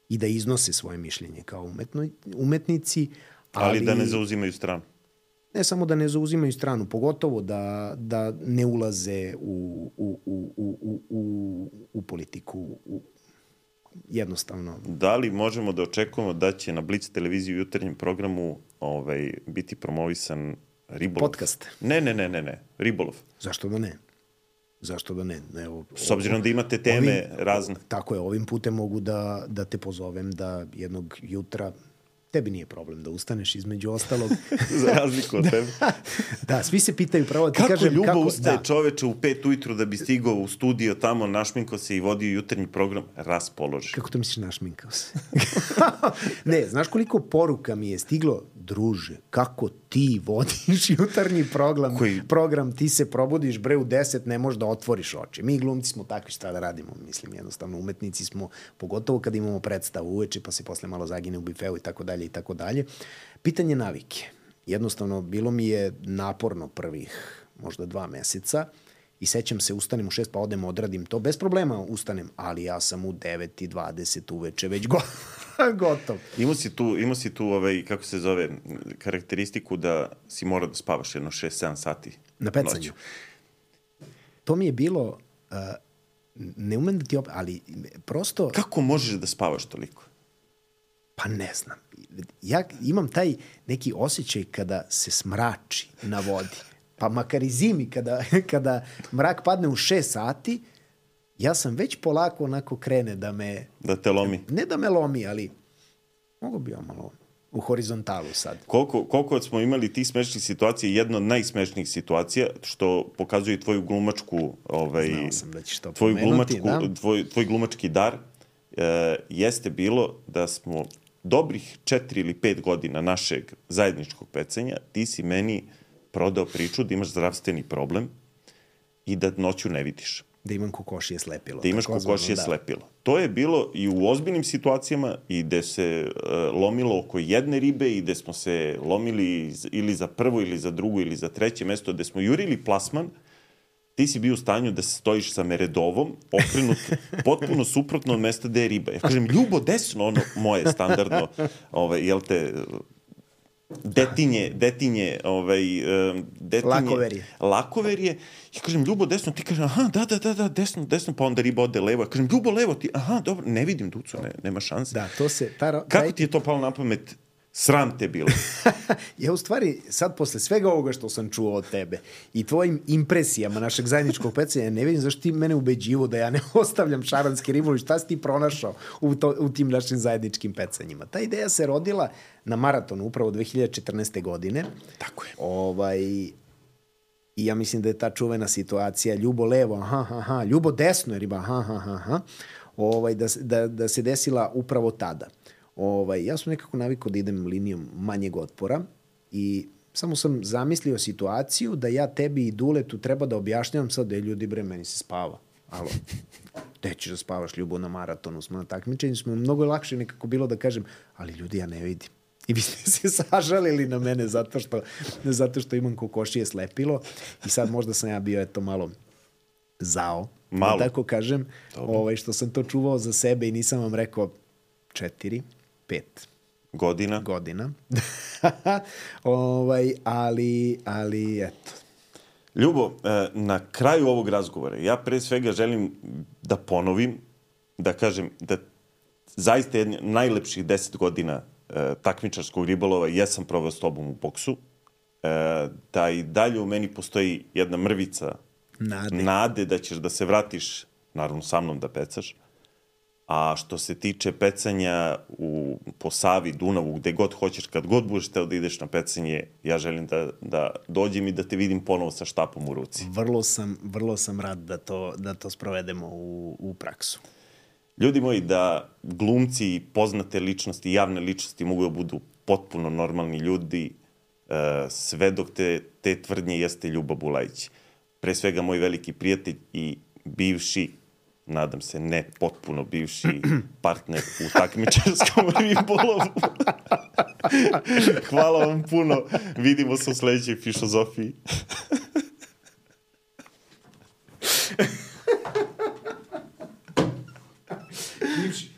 S2: i da iznose svoje mišljenje kao umetno, umetnici.
S1: Ali, ali da ne zauzimaju stranu.
S2: Ne samo da ne zauzimaju stranu, pogotovo da, da ne ulaze u, u, u, u, u, u politiku, u, jednostavno.
S1: Da li možemo da očekujemo da će na Blic televiziji u jutarnjem programu ovaj, biti promovisan ribolov?
S2: Podcast?
S1: Ne, ne, ne, ne, ne. Ribolov.
S2: Zašto da ne? Zašto da ne? Evo,
S1: s obzirom da imate teme
S2: ovim,
S1: razne.
S2: Tako je, ovim putem mogu da, da te pozovem da jednog jutra tebi nije problem da ustaneš između ostalog.
S1: Za razliku od tebe.
S2: Da, da, svi se pitaju pravo da ti
S1: kako
S2: kažem...
S1: Ljubo
S2: kako
S1: Ljubo ustaje
S2: da.
S1: čoveče u pet ujutru da bi stigao u studio tamo, našminkao se i vodio jutarnji program, raspoloži.
S2: Kako to misliš našminkao se? Ne, znaš koliko poruka mi je stiglo? Druže, kako ti vodiš jutarnji program, Koji... program, ti se probudiš bre u deset, ne možeš da otvoriš oči. Mi glumci smo takvi, šta da radimo, mislim, jednostavno umetnici smo, pogotovo kad imamo predstavu uveče, pa se posle malo zagine u bifeu i tako dalje i tako dalje. Pitanje navike. Jednostavno, bilo mi je naporno prvih možda dva meseca i sećam se, ustanem u šest, pa odem, odradim to. Bez problema ustanem, ali ja sam u devet i dvadeset uveče već go gotov.
S1: Imao si tu, imao si tu ovaj, kako se zove, karakteristiku da si morao da spavaš jedno šest sedam sati.
S2: Na pecanju. Noću. To mi je bilo, uh, ne umem da ti opet, ali prosto...
S1: Kako možeš da spavaš toliko?
S2: Pa ne znam. Ja imam taj neki osjećaj kada se smrači na vodi. Pa makar i zimi, kada, kada mrak padne u šest sati, ja sam već polako onako krene da me...
S1: Da te lomi.
S2: Ne da me lomi, ali mogu bi ja malo u horizontalu sad.
S1: Koliko, koliko smo imali tih smešnih situacija, jedna od najsmešnijih situacija, što pokazuje tvoju glumačku... Ovaj,
S2: Znao sam da ćeš to
S1: tvoju
S2: pomenuti,
S1: glumačku,
S2: da.
S1: Tvoj, tvoj glumački dar e, jeste bilo da smo dobrih četiri ili pet godina našeg zajedničkog pecanja, ti si meni prodao priču da imaš zdravstveni problem i da noću ne vidiš.
S2: Da imam kokošije slepilo.
S1: Da imaš kokošije da. slepilo. To je bilo i u ozbiljnim situacijama i gde se uh, lomilo oko jedne ribe i gde smo se lomili ili za prvo ili za drugo ili za treće mesto, gde smo jurili plasman, ti si bio u stanju da stojiš sa meredovom, okrenut potpuno suprotno od mesta gde je riba. Ja kažem, Ljubo, desno, ono moje standardno, ovaj, jel te... detinje, detinje, ovaj, detinje,
S2: lakoverije.
S1: lakoverije. Ja kažem, Ljubo, desno, ti kažem, aha, da, da, da, da, desno, desno, pa onda riba ode levo. Ja kažem, Ljubo, levo, ti, aha, dobro, ne vidim ducu, ne, nema šanse.
S2: Da, to se... Ta,
S1: Kako taj... ti je to palo na pamet Sram te bilo.
S2: Ja u stvari, sad posle svega ovoga što sam čuo od tebe i tvojim impresijama našeg zajedničkog pecanja, ne vidim zašto ti mene ubeđivo da ja ne ostavljam šaranski ribolov. Šta si ti pronašao u, to, u tim našim zajedničkim pecanjima? Ta ideja se rodila na maratonu upravo dve hiljade četrnaeste. godine.
S1: Tako je.
S2: Ovaj, I ja mislim da je ta čuvena situacija ljubo levo, aha, aha, aha, ljubo desno je riba, aha, aha, aha, ovaj, da, da, da se desila upravo tada. Ovaj, ja sam nekako navikao da idem linijom manjeg otpora i samo sam zamislio situaciju da ja tebi i Duletu treba da objašnjavam sad da je ljudi, bre, meni se spava. Alo, gde ćeš da spavaš, Ljubo, na maratonu smo na takmičenju, smo mnogo lakše nekako bilo da kažem, ali ljudi, ja ne vidim. I vi ste se sažalili na mene zato što, zato što imam kokošije slepilo i sad možda sam ja bio eto malo zao,
S1: malo.
S2: Da tako kažem, ovaj, što sam to čuvao za sebe i nisam vam rekao četiri, pet
S1: godina.
S2: Godina. ovaj, ali, ali eto.
S1: Ljubo, na kraju ovog razgovora ja pre svega želim da ponovim, da kažem da zaista jedne najlepših deset godina takmičarskog ribolova jesam proveo s tobom u boksu, da i dalje u meni postoji jedna mrvica
S2: nade,
S1: nade da ćeš da se vratiš, naravno sa mnom da pecaš. A što se tiče pecanja u, po Savi, Dunavu, gde god hoćeš, kad god budeš teo da ideš na pecanje, ja želim da, da dođem i da te vidim ponovo sa štapom u ruci.
S2: Vrlo sam, vrlo sam rad da to, da to sprovedemo u, u praksu.
S1: Ljudi moji, da glumci, poznate ličnosti, javne ličnosti mogu da budu potpuno normalni ljudi, sve dok te, te tvrdnje jeste Ljubo Bulajić. Pre svega moj veliki prijatelj i bivši, nadam se ne potpuno bivši partner u takmičarskom ribolovu. Hvala vam puno. Vidimo se u sledećoj Fišozofiji.
S2: Bivši,